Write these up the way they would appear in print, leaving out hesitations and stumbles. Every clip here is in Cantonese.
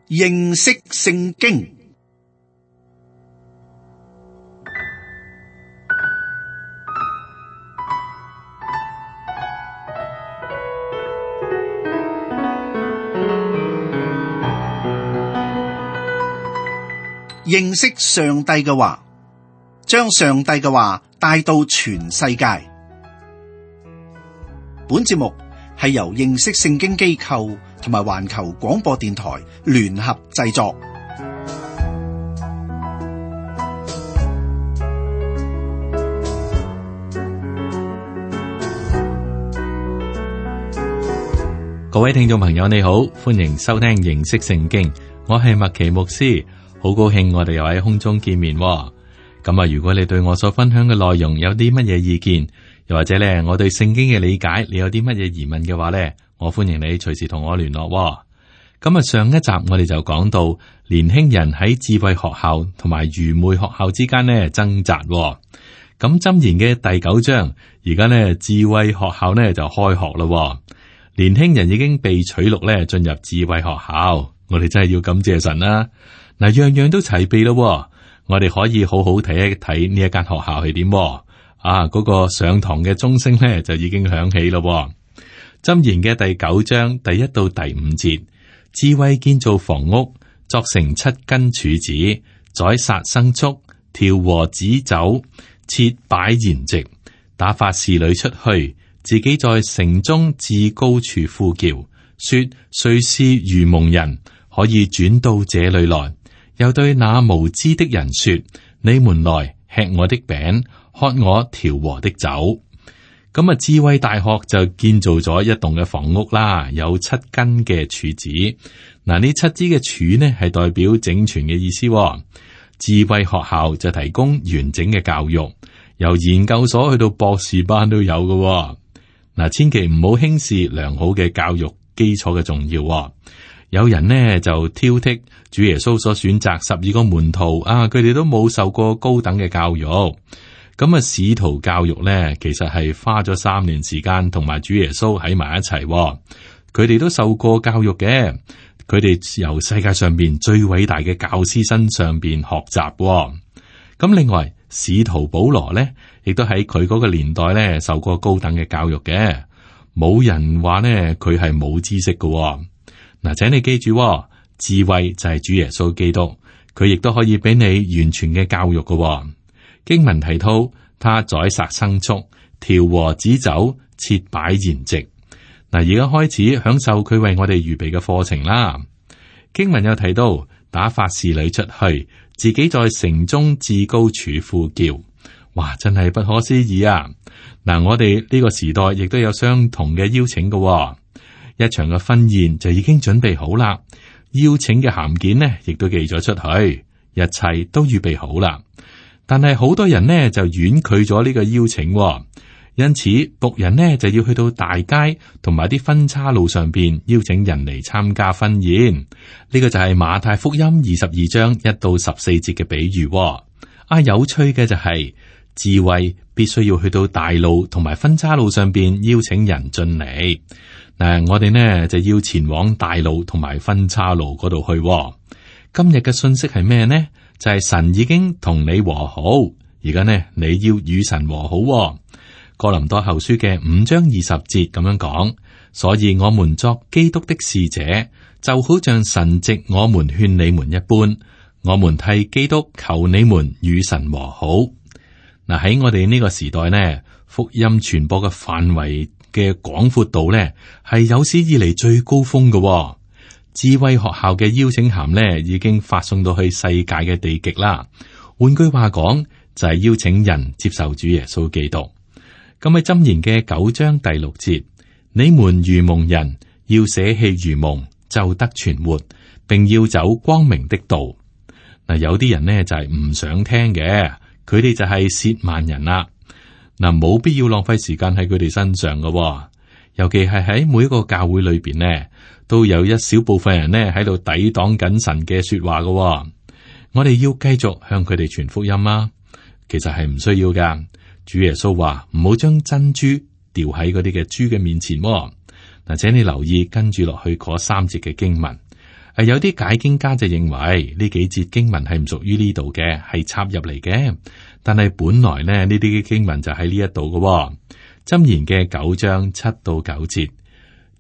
認識聖經。認識上帝嘅話，將上帝嘅話帶到全世界。本節目係由認識聖經機構同埋環球廣播電台聯合製作。各位聽眾朋友，你好，歡迎收聽認識聖經，我係麥奇牧師。好高興我哋又喺空中見面。咁啊，如果你對我所分享嘅內容有啲乜嘢意見，又或者咧我對聖經嘅理解，你有啲乜嘢疑問嘅話咧，我歡迎你隨時同我聯絡。咁啊，上一集我哋就講到年輕人喺智慧學校同埋愚昧學校之間咧掙扎。咁箴言嘅第9章，而家咧智慧學校咧就開學啦。年輕人已經被取錄咧進入智慧學校，我哋真係要感謝神啦。嗱，樣樣都齊備咯，我哋可以好好睇一睇呢一間學校係點。嗰個上堂嘅鐘聲咧就已經響起咯。箴言嘅第9章第1到第5節，智慧建造房屋，作成7根柱子，宰殺牲畜，調和旨酒，設擺筵席，打發侍女出去，自己在城中至高處呼叫，說：誰是愚蒙人，可以轉到這裏來？又對那無知的人說：你們來吃我的餅，喝我調和的酒。咁啊，智慧大學就建造咗一棟嘅房屋啦，有7根嘅柱子。嗱，呢7支嘅柱呢係代表整全嘅意思。智慧學校就提供完整嘅教育，由研究所去到博士班都有嘅。嗱，千祈唔好輕視良好嘅教育基礎嘅重要。有人呢就挑剔主耶穌所選擇12個門徒啊，佢哋都冇受過高等嘅教育。咁啊，使徒教育呢，其實係花咗3年時間同埋主耶穌喺埋一齊。佢哋都受過教育嘅，佢哋由世界上邊最偉大嘅教師身上邊學習。咁另外，使徒保羅呢，亦都喺佢嗰個年代呢受過高等嘅教育嘅，冇人話呢佢係冇知識嘅。嗱，請你記住，智慧就係主耶穌基督，佢亦都可以俾你完全嘅教育嘅。經文提到，他宰殺牲畜，調和旨酒，設擺筵席。嗱，而家開始享受佢為我哋預備嘅課程啦。經文又提到，打發侍女出去，自己在城中至高處呼叫。哇，真係不可思議啊！嗱，我哋呢個時代亦都有相同嘅邀請嘅。一場嘅婚宴就已經準備好啦，邀請嘅函件呢，亦都寄咗出去，一切都預備好啦。但係好多人呢就婉拒咗呢個邀請，因此僕人呢就要去到大街同埋啲分岔路上邊邀請人嚟參加婚宴。呢個就係馬太福音22章1到14節嘅比喻。有趣嘅就係智慧必須要去到大路同埋分岔路上邊邀請人進嚟。我哋呢就要前往大路同埋分岔路嗰度去。今日嘅信息係咩呢？就係神已經同你和好，而家呢你要與神和好。哥林多後書嘅5章20節咁樣講，所以我們作基督的使者，就好像神藉我們勸你們一般，我們替基督求你們與神和好。嗱，喺我哋呢個時代呢，福音傳播嘅範圍嘅廣闊度呢，係有史以嚟最高峰嘅。智慧學校嘅邀請函呢，已經發送到去世界嘅地極啦。換句話講，就係邀請人接受主耶穌基督。咁喺箴言嘅9章第6節，你們愚蒙人要捨棄愚蒙，就得存活，並要走光明的道。嗱，有啲人呢就係唔想聽嘅，佢哋就係褻慢人啦。嗱，冇必要浪費時間喺佢哋身上嘅，尤其係喺每一個教會裏邊呢，都有一小部分人呢喺度抵擋緊神嘅說話嘅。我哋要繼續向佢哋傳福音啊！其實係唔需要噶。主耶穌話唔好將珍珠掉喺嗰啲嘅豬嘅面前。嗱，請你留意跟住落去嗰3節嘅經文。有啲解經家就認為呢幾節經文係唔屬於呢度嘅，係插入嚟嘅。但係本來呢啲經文就喺呢一度嘅。箴言嘅9章7到9節，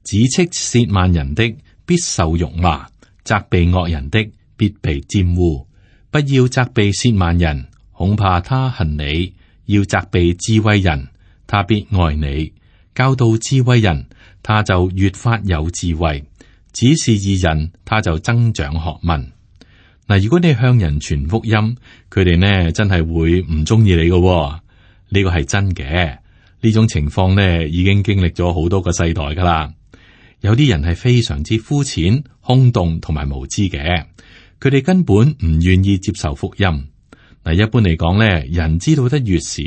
指斥褻慢人的必受辱罵，責備惡人的必被玷污。不要責備褻慢人，恐怕他恨你；要責備智慧人，他必愛你。教導智慧人，他就越發有智慧。指示義人，他就增長學問。嗱，如果你向人傳福音，佢哋呢真係會唔中意你嘅，呢個係真嘅。呢種情況呢已經經歷咗好多個世代噶啦。有啲人係非常之膚淺、空洞同埋無知嘅，佢哋根本唔願意接受福音。嗱，一般嚟講呢，人知道得越少，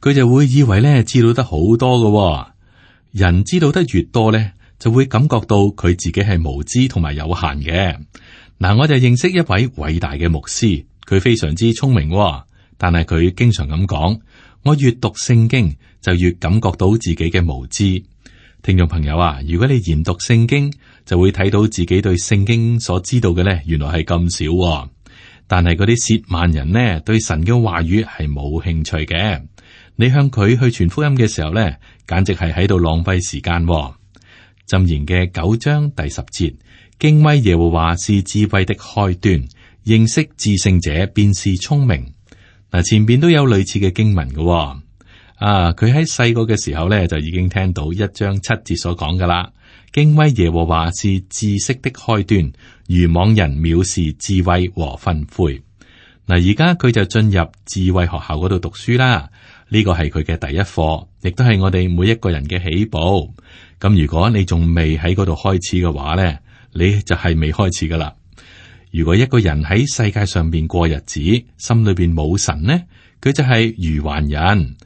佢就會以為呢知道得好多嘅。人知道得越多呢，就會感覺到佢自己係無知同埋有限嘅。嗱，我就認識一位偉大嘅牧師，佢非常之聰明，但係佢經常咁講：我越讀聖經就越感覺到自己嘅無知。聽眾朋友啊，如果你研讀聖經，就會睇到自己對聖經所知道嘅呢，原來係咁少。但係嗰啲褻慢人呢，對神嘅話語係冇興趣嘅。你向佢去傳福音嘅時候呢，簡直係喺度浪費時間。箴言嘅9章第10節，敬畏耶和華是智慧的開端，認識至聖者便是聰明。嗱，前邊都有類似嘅經文嘅。佢喺細個嘅時候呢，就已經聽到1章7節所講噶啦。敬畏耶和華是知識的開端，愚妄人藐視智慧和訓誨。嗱，而家佢就進入智慧學校嗰度讀書啦。呢個係佢嘅第一課，亦都係我哋每一個人嘅起步。咁如果你仲未喺嗰度開始嘅話呢，你就係未開始噶啦。如果一個人喺世界上邊過日子，心裏邊冇神呢，佢就係愚頑人，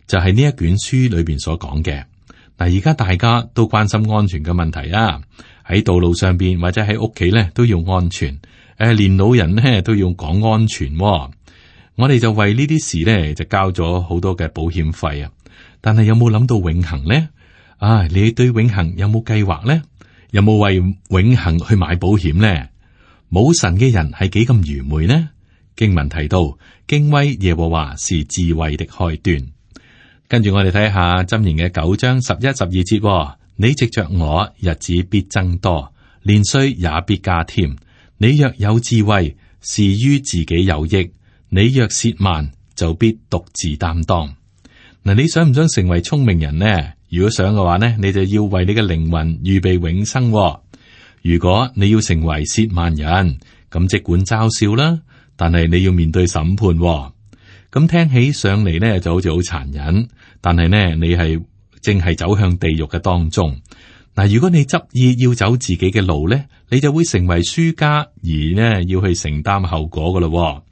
就係呢一卷書裏邊所講嘅。嗱，而家大家都關心安全嘅問題啊，喺道路上邊或者喺屋企咧都要安全。連老人咧都要講安全。我哋就為呢啲事咧就交咗好多嘅保險費啊。但係有冇諗到永恆呢？你對永恆有冇計劃呢？有冇為永恆去買保險呢？冇神嘅人係幾咁愚昧呢？經文提到，敬畏耶和華是智慧的開端。跟住我哋睇下箴言嘅9章11、12節，你藉着我，日子必增多，年歲也必加添。你若有智慧，是於自己有益；你若褻慢，就必獨自擔當。嗱，你想唔想成為聰明人呢？如果想嘅話呢，你就要為你嘅靈魂預備永生。如果你要成為褻慢人，咁即管嘲笑啦，但係你要面對審判。咁聽起上嚟呢就好似好殘忍，但係呢你係正係走向地獄嘅當中。嗱，如果你執意要走自己嘅路呢，你就會成為輸家，而呢要去承擔後果噶咯。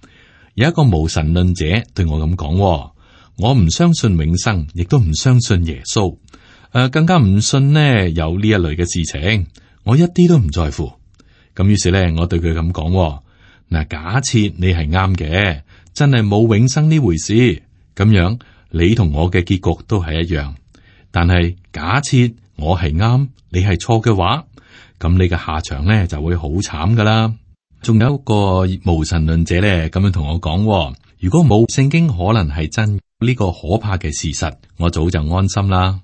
有一個無神論者對我咁講，我唔相信永生，亦都唔相信耶穌，更加唔信呢有呢一類嘅事情，我一啲都唔在乎。咁於是呢，我對佢咁講，嗱，假設你係啱嘅，真係冇永生呢回事，咁樣你同我嘅結局都係一樣。但係假設我係啱，你係錯嘅話，咁你嘅下場呢就會好慘噶啦。仲有一個無神論者呢咁樣同我講，如果冇聖經可能係真呢個可怕嘅事實，我早就安心啦。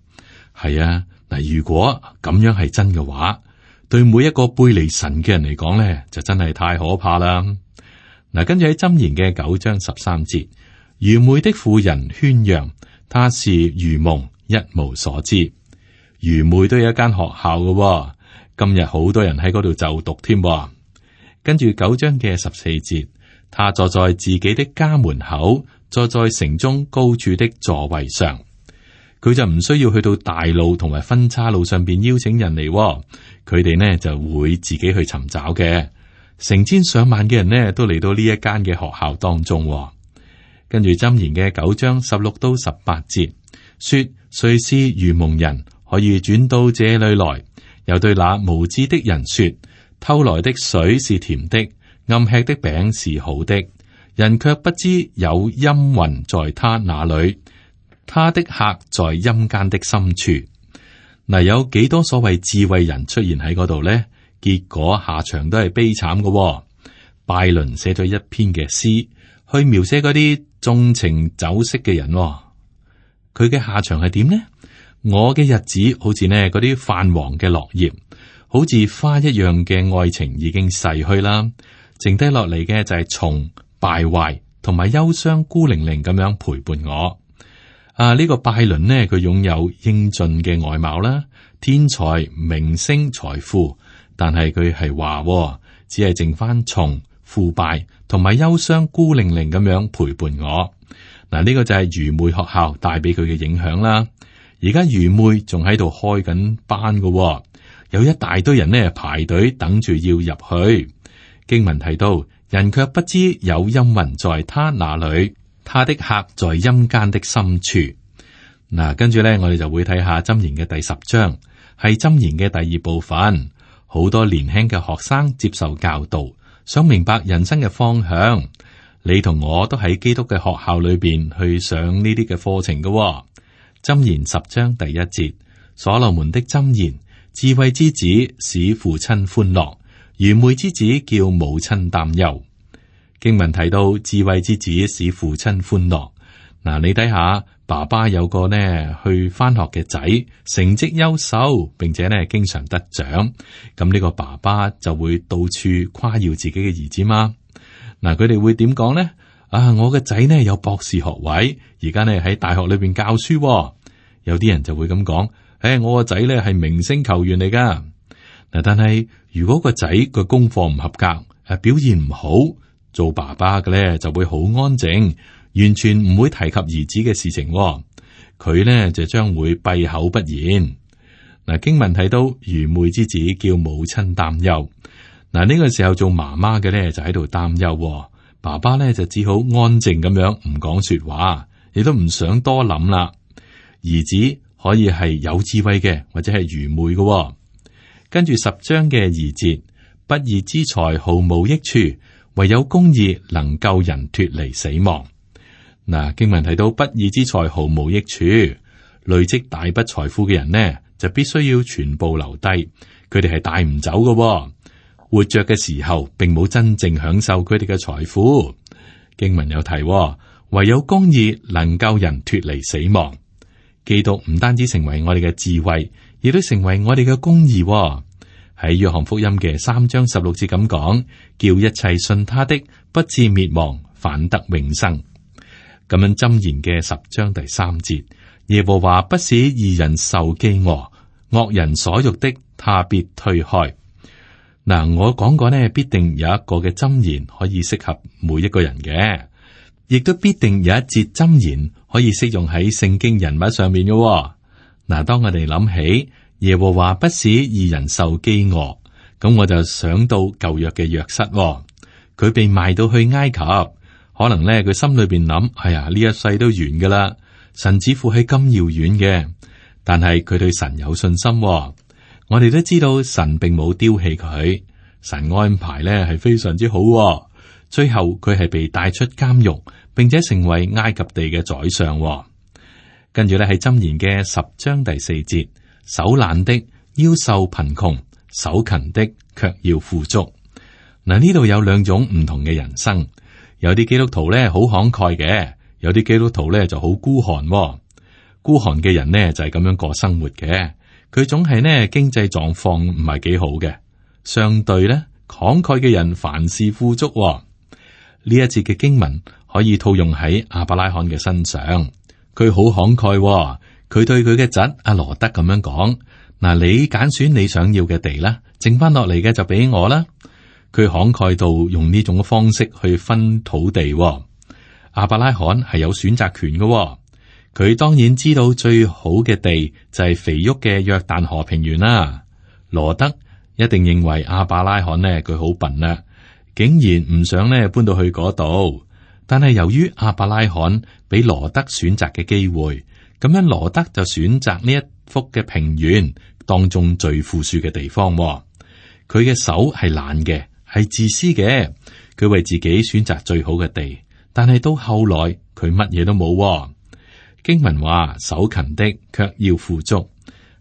係啊，嗱，如果咁樣係真嘅話，對每一個背離神嘅人嚟講呢，就真係太可怕啦。嗱，跟住喺箴言嘅9章13節，愚昧的婦人喧嚷，她是愚蒙，一無所知。愚昧都有一間學校嘅，今日好多人喺嗰度就讀添。跟住9章嘅14節，他坐在自己的家門口，坐在城中高處的座位上。佢就唔需要去到大路同埋分岔路上邊邀請人嚟，佢哋呢就會自己去尋找嘅。成千上萬嘅人呢都嚟到呢一間嘅學校當中。跟住箴言嘅9章16到18節，說誰是愚蒙人，可以轉到這裏來？又對那無知的人說，偷來的水是甜的，暗吃的餅是好的，人卻不知有陰魂在他那裏，他的客在陰間的深處。嗱，有幾多所謂智慧人出現喺嗰度呢？結果下場都係悲慘嘅。拜倫寫咗一篇嘅詩，去描寫嗰啲縱情酒色嘅人。佢嘅下場係點呢？我嘅日子好似呢嗰啲泛黃嘅落葉，好似花一樣嘅愛情已經逝去啦，剩低落嚟嘅就係蟲、敗壞同埋憂傷，孤零零咁樣陪伴我。呢個拜倫呢，佢擁有英俊嘅外貌啦，天才、明星、財富，但係佢係話，只係剩翻蟲、腐敗同埋憂傷，孤零零咁樣陪伴我。呢個就係愚昧學校帶俾佢嘅影響啦。而家愚昧仲喺度開緊班嘅，有一大堆人呢排隊等住要入去。經文提到，人卻不知有陰魂在他那裏，他的客在陰間的深處。跟住呢，我哋就會睇下箴言嘅第10章，係箴言嘅第2部分。好多年輕嘅學生接受教導，想明白人生嘅方向。你同我都喺基督嘅學校裏邊去上呢啲嘅課程嘅。箴言10章第1節，所羅門的箴言：智慧之子使父親歡樂，愚昧之子叫母親擔憂。經文提到智慧之子使父親歡樂。你睇下，爸爸有個呢去翻學嘅仔，成績優秀，並且呢經常得獎，咁呢個爸爸就會到處誇耀自己嘅兒子嘛。佢哋會點講呢？我嘅仔呢有博士學位，而家呢喺大學裏邊教書。有啲人就會咁講：我個仔呢係明星球員嚟噶。但係如果個仔個功課唔合格，表現唔好，做爸爸嘅呢就會好安靜，完全唔會提及兒子嘅事情。佢呢就將會閉口不言。經文提到愚昧之子叫母親擔憂。呢個時候做媽媽嘅呢就喺度擔憂。爸爸咧就只好安靜咁樣唔講說話，亦都唔想多諗啦。兒子可以係有智慧嘅，或者係愚昧嘅。跟住10章嘅2節，不義之財毫無益處，唯有公義能救人脫離死亡。經文提到不義之財毫無益處，累積大筆財富嘅人呢，就必須要全部留低，佢哋係帶唔走嘅。活着嘅時候，並冇真正享受佢哋嘅財富。經文有提，唯有公義能救人脫離死亡。基督唔單止成為我哋嘅智慧，亦都成為我哋嘅公義。喺約翰福音嘅3章16節咁講，叫一切信他的不至滅亡，反得永生。咁樣箴言嘅10章第3節，耶和華不使義人受飢餓，惡人所欲的，他必推開。我講過呢，必定有一個嘅箴言可以適合每一個人嘅，亦都必定有一節箴言可以適用喺聖經人物上面嘅。當我哋諗起耶和華不使義人受飢餓，咁我就想到舊約嘅約瑟，佢被賣到去埃及，可能呢，佢心裏邊諗：哎呀，呢一世都完噶啦，神似乎係咁遙遠嘅，但係佢對神有信心。我哋都知道神並冇丟棄佢，神安排咧係非常之好。最後佢係被帶出監獄，並且成為埃及地嘅宰相。跟住咧喺箴言嘅10章第4節，手懶的要受貧窮，手勤的卻要富足。呢度有2種唔同嘅人生，有啲基督徒咧好慷慨嘅，有啲基督徒咧就好孤寒。孤寒嘅人呢就係咁樣過生活嘅。佢總係呢經濟狀況唔係幾好嘅，相對呢慷慨嘅人凡事富足。呢一節嘅經文可以套用喺亞伯拉罕嘅身上，佢好慷慨。佢對佢嘅侄阿羅德咁樣講：你揀選你想要嘅地啦，剩翻落嚟嘅就俾我啦。佢慷慨到用呢種方式去分土地。亞伯拉罕係有選擇權嘅。佢當然知道最好嘅地就係肥沃嘅約旦河平原啦。羅德一定認為亞伯拉罕呢，佢好笨啦，竟然唔想呢搬到去嗰度。但係由於亞伯拉罕俾羅德選擇嘅機會，咁樣羅德就選擇呢一幅嘅平原當中最富庶嘅地方。佢嘅手係懶嘅，係自私嘅，佢為自己選擇最好嘅地，但係到後來佢乜嘢都冇。經文話：手勤的卻要富足，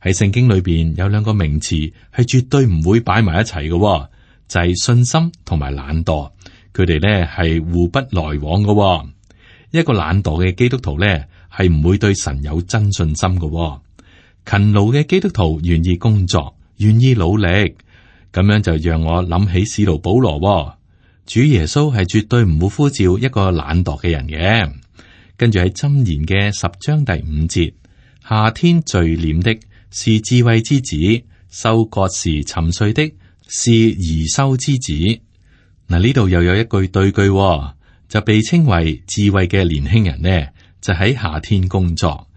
喺聖經裏邊有兩個名詞係絕對唔會擺埋一齊嘅，就係信心同埋懶惰。佢哋咧係互不來往嘅。一個懶惰嘅基督徒咧係唔會對神有真信心嘅。勤勞嘅基督徒願意工作，願意努力，咁樣就讓我諗起使徒保羅。主耶穌係絕對唔會呼召一個懶惰嘅人嘅。跟住喺箴言嘅10章第5節，夏天聚斂的是智慧之子，收割時沉睡的是貽羞之子。嗱，呢度又有一句對句，就被稱為智慧嘅年輕人呢，就喺夏天工作；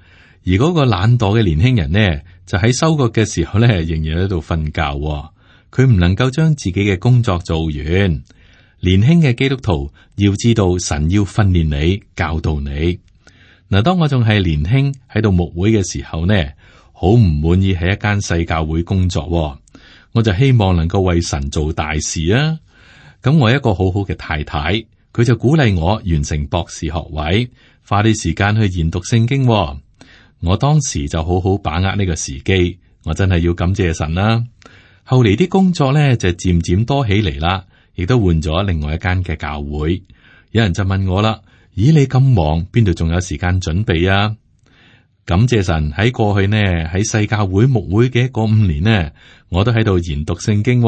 而嗰個懶惰嘅年輕人呢，就喺收割嘅時候呢，仍然喺度瞓覺。佢唔能夠將自己嘅工作做完。年輕嘅基督徒要知道神要訓練你、教導你。嗱，當我仲係年輕喺度牧會嘅時候呢，好唔滿意喺一間細教會工作，我就希望能夠為神做大事啊！咁我一個好好嘅太太，佢就鼓勵我完成博士學位，花啲時間去研讀聖經。我當時就好好把握呢個時機，我真係要感謝神啦。後嚟啲工作咧就漸漸多起嚟啦，亦都換咗另外一間嘅教會。有人就問我啦：咦，你咁忙，邊度仲有時間準備啊？感謝神喺過去呢，喺細教會牧會嘅嗰5年呢，我都喺度研讀聖經。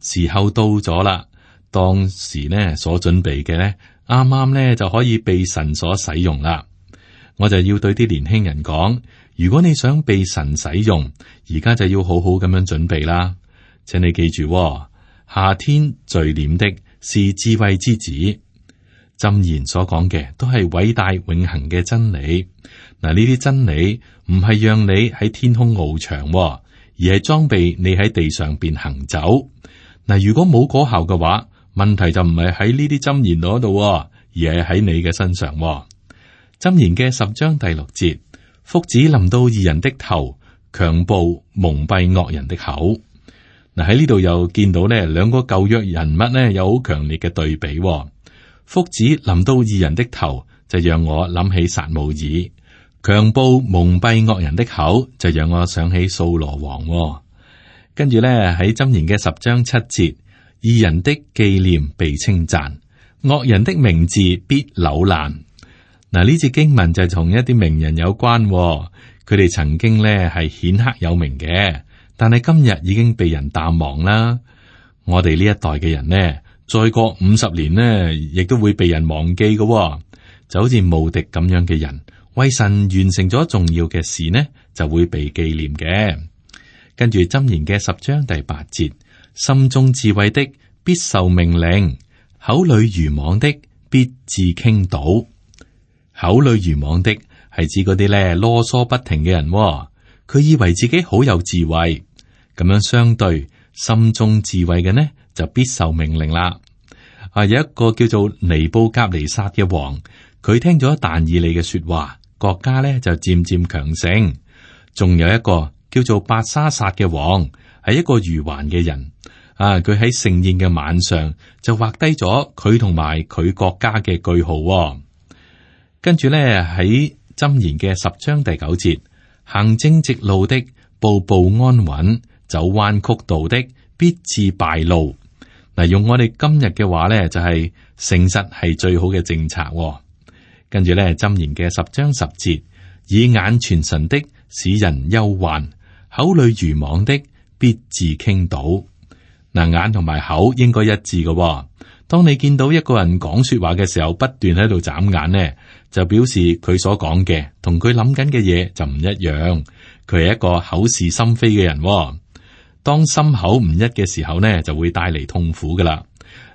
時候到咗啦。當時呢所準備嘅呢，啱啱呢就可以被神所使用啦。我就要對啲年輕人講：如果你想被神使用，而家就要好好咁樣準備啦。請你記住，夏天聚斂的是智慧之子。箴言所講嘅都係偉大永恆嘅真理。嗱，呢啲真理唔係讓你喺天空翱翔，而係裝備你喺地上邊行走。嗱，如果冇果效嘅話，問題就唔係喺呢啲箴言嗰度，而係喺你嘅身上。箴言嘅10章第6節，福祉臨到義人的頭，強暴蒙蔽惡人的口。嗱，喺呢度又見到呢兩個舊約人物呢有好強烈嘅對比。福祉臨到義人的頭，就讓我諗起撒母耳；強暴蒙蔽惡人的口，就讓我想起掃羅王。跟住呢喺箴言嘅10章7節，義人的紀念被稱讚，惡人的名字必朽爛。嗱，呢節經文就同一啲名人有關，佢哋曾經呢係顯赫有名嘅，但係今日已經被人淡忘啦。我哋呢一代嘅人呢，再過50年呢，亦都會被人忘記嘅，就好似慕迪咁樣嘅人，為神完成咗重要嘅事呢，就會被紀念嘅。跟住箴言嘅10章第8節，心中智慧的必受命令，口裏愚妄的必致傾倒。口裏愚妄的係指嗰啲咧囉嗦不停嘅人，佢以為自己好有智慧，咁樣相對心中智慧嘅呢就必受命令啦。有一個叫做尼布甲尼撒嘅王，佢聽咗但以理嘅說話，國家咧就漸漸強盛。仲有一個叫做伯沙撒嘅王，係一個愚頑嘅人。佢喺盛宴嘅晚上就畫低咗佢同埋佢國家嘅句號。跟住咧喺箴言嘅10章第9節，行正直路的步步安穩，走彎曲道的必致敗露。嗱，用我哋今日嘅話咧，就係誠實係最好嘅政策。跟住咧箴言嘅10章10節，以眼傳神的使人憂患，口裏愚妄的必致傾倒。嗱，眼同埋口應該一致嘅。當你見到一個人講說話嘅時候，不斷喺度眨眼呢，就表示佢所講嘅同佢諗緊嘅嘢就唔一樣。佢係一個口是心非嘅人。當心口唔一嘅時候呢，就會帶嚟痛苦噶啦。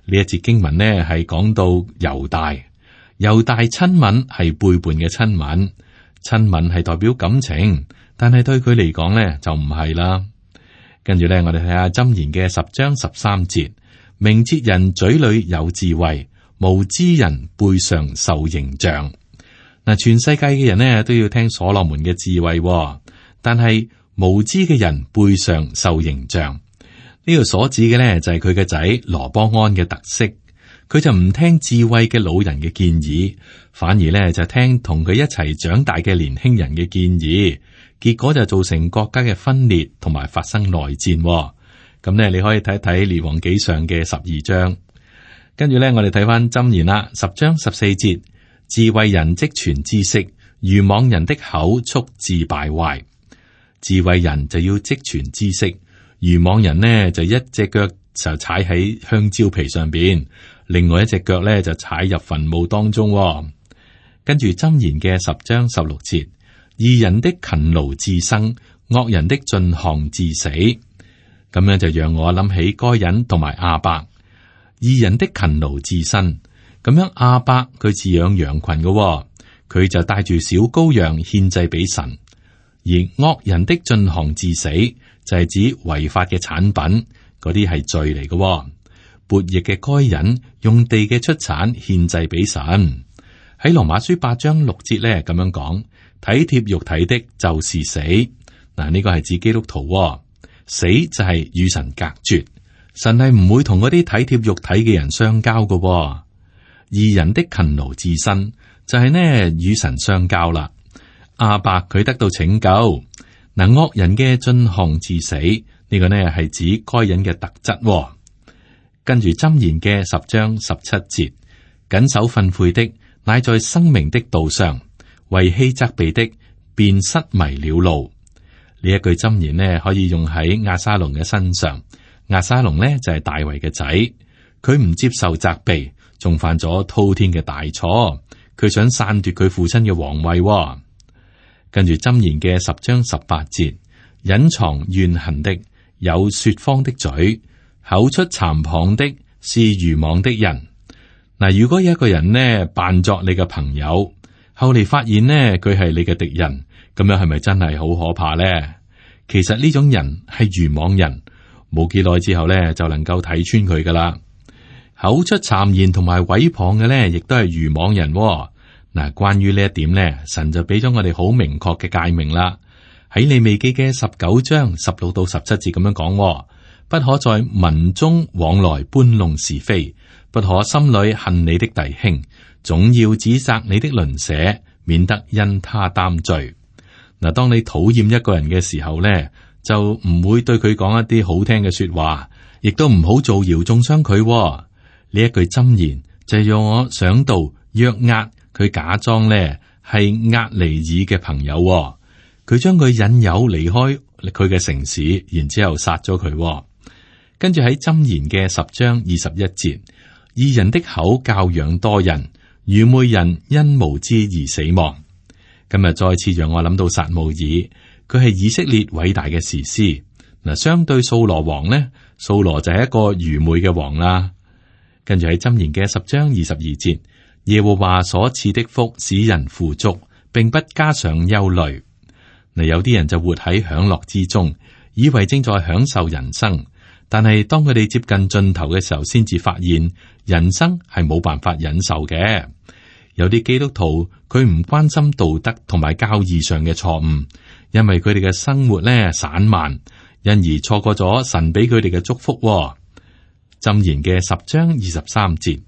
呢一節經文呢係講到猶大親吻係背叛嘅親吻，親吻係代表感情，但係對佢嚟講呢就唔係啦。跟住呢，我哋睇下箴言嘅10章13節。明哲人嘴裏有智慧，無知人背上受刑杖。嗱，全世界嘅人呢都要聽所羅門嘅智慧，但係無知嘅人背上受刑杖。呢個所指嘅呢就係佢嘅仔羅波安嘅特色，佢就唔聽智慧嘅老人嘅建議，反而呢就聽同佢一齊長大嘅年輕人嘅建議，結果就造成國家嘅分裂同埋發生內戰。咁呢，你可以睇睇列王紀上嘅12章。跟住呢，我哋睇翻箴言啦，10章14節，智慧人積存知識，愚妄人的口速致敗壞。智慧人就要積存知識，愚妄人呢就一隻腳就踩喺香蕉皮上邊，另外一隻腳呢就踩入墳墓當中。跟住箴言嘅10章16節，義人的勤勞致生，惡人的進項致死。咁樣就讓我諗起該隱同埋亞伯。義人的勤勞致生，咁樣亞伯佢飼養羊群嘅，佢就帶住小羔羊獻祭俾神。而惡人的進項致死，就係指違法嘅產品，嗰啲係罪嚟嘅。悖逆嘅該隱用地嘅出產獻祭俾神。喺羅馬書8章6節咧咁樣講，體貼肉體的就是死。嗱，呢個係指基督徒。死就係與神隔絕，神係唔會同嗰啲體貼肉體嘅人相交嘅。義人的勤勞致生，就係呢與神相交啦。亞伯佢得到拯救，嗱，惡人嘅進項致死，呢個呢係指該隱嘅特質。跟住箴言嘅10章17節，謹守訓誨的，乃在生命的道上，為欺責備的，便失迷了路。呢一句箴言呢，可以用喺押沙龍嘅身上。押沙龍呢就係大衛嘅仔，佢唔接受責備，仲犯咗滔天嘅大錯，佢想篡奪佢父親嘅皇位。跟住箴言嘅10章18節，隱藏怨恨的，有說謊的嘴，口出讒謗的，是愚妄的人。嗱，如果有一個人呢扮作你嘅朋友，後嚟發現呢佢係你嘅敵人，咁樣係咪真係好可怕呢？其實呢種人係愚妄人，冇幾耐之後呢就能夠睇穿佢噶啦。口出讒言同埋毀謗嘅呢，亦都係愚妄人。嗱，關於呢一點呢，神就俾咗我哋好明確嘅誡命啦。喺利未記嘅19章16到17節咁樣講，不可在民中往來搬弄是非，不可心裏恨你的弟兄，總要指責你的鄰舍，免得因他擔罪。嗱，當你討厭一個人嘅時候呢，就唔會對佢講一啲好聽嘅說話，亦都唔好造謠中傷佢。呢一句箴言就係讓我想到約押。佢假裝呢係押尼珥嘅朋友，佢將佢引誘離開佢嘅城市，然之後殺咗佢。跟住喺箴言嘅10章21節，義人的口教養多人，愚昧人因無知而死亡。今日再次讓我諗到撒母耳，佢係以色列偉大嘅士師。嗱，相對掃羅王呢，掃羅就係一個愚昧嘅王啦。跟住喺箴言嘅10章22節。耶和華所賜的福使人富足，並不加上憂慮。嗱，有啲人就活喺享樂之中，以為正在享受人生，但係當佢哋接近盡頭嘅時候，先至發現人生係冇辦法忍受嘅。有啲基督徒佢唔關心道德同埋教義上嘅錯誤，因為佢哋嘅生活咧散漫，因而錯過咗神俾佢哋嘅祝福。箴言嘅10章23節。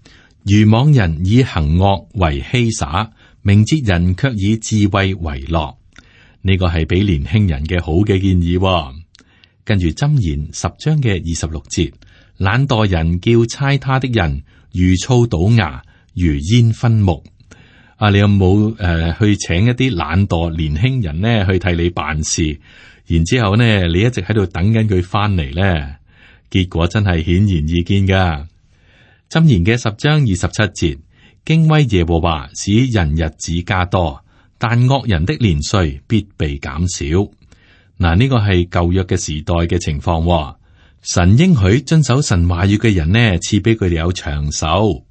愚妄人以行惡為嬉灑，明哲人卻以智慧為樂。呢個係俾年輕人嘅好嘅建議。跟住箴言10章嘅26節，懶惰人叫差他的人如醋倒牙，如煙熏目。你有冇去請一啲懶惰年輕人呢去替你辦事？然之後呢，你一直喺度等緊佢翻嚟呢？結果真係顯然易見噶。箴言嘅10章27節，敬畏耶和華使人日子加多，但惡人的年歲必被減少。嗱，呢個係舊約嘅時代嘅情況。神應許遵守神話語嘅人呢，賜俾佢哋有長壽。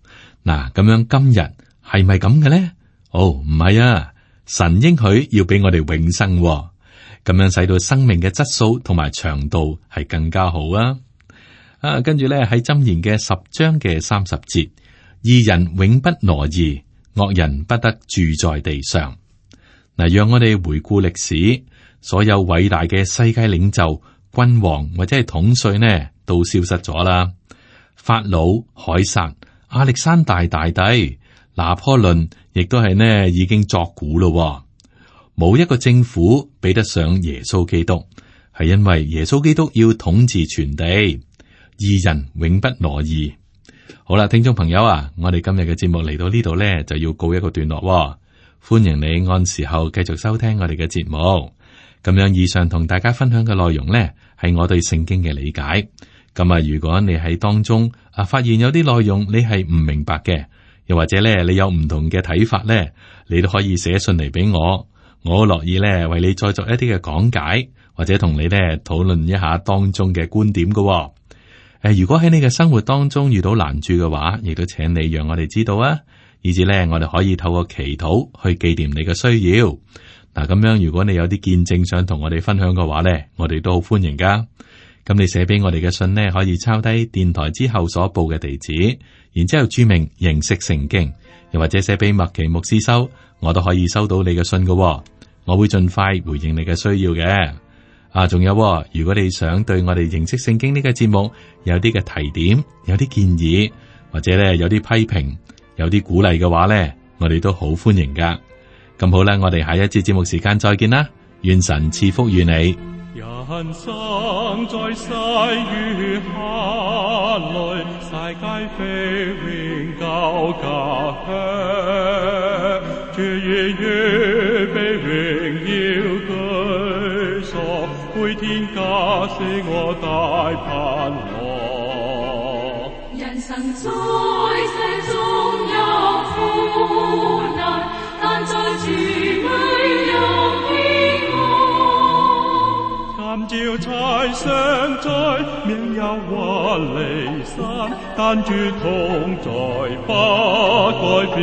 嗱，咁樣今日係咪咁嘅呢？唔係啊，神應許要俾我哋永生，咁樣使到生命嘅質素同埋長度係更加好啊。跟住咧喺箴言嘅10章嘅30節，義人永不挪移，惡人不得住在地上。嗱，讓我哋回顧歷史，所有偉大嘅世界領袖、君王或者係統帥呢，都消失咗啦。法老、凱撒、亞歷山大大帝、拿破崙，亦都係呢已經作古咯。冇一個政府比得上耶穌基督，係因為耶穌基督要統治全地，義人永不挪移。好啦，聽眾朋友啊，我哋今日嘅節目嚟到呢度呢，就要告一個段落喎。歡迎你按時候繼續收聽我哋嘅節目。咁樣以上同大家分享嘅內容呢，係我對聖經嘅理解。咁啊，如果你喺當中發現有啲內容你係唔明白嘅，又或者咧你有唔同嘅睇法呢，你都可以寫信嚟俾我，我好樂意咧為你再作一啲嘅講解，或者同你咧討論一下當中嘅觀點㗎喎。如果喺你嘅生活當中遇到難處嘅話，亦都請你讓我哋知道啊，以至咧我哋可以透過祈禱去紀念你嘅需要。嗱，咁樣如果你有啲見證想同我哋分享嘅話咧，我哋都好歡迎噶。咁你寫俾我哋嘅信呢，可以抄低電台之後所報嘅地址，然之後注明認識聖經，又或者寫俾麥奇牧師收，我都可以收到你嘅信㗎喎。我會盡快回應你嘅需要嘅。仲有，如果你想對我哋認識聖經呢個節目有啲嘅提點，有啲建議，或者咧有啲批評，有啲鼓勵嘅話咧，我哋都好歡迎噶。咁好啦，我哋下一節節目時間再見啦，願神賜福於你。人生在世與下來，世界飛永久家鄉，主已預備榮耀居所，配天家是我大盼望。人生在世中有苦難，但在主裏有平安。感召才常在，命有或離散，但主同在不改變。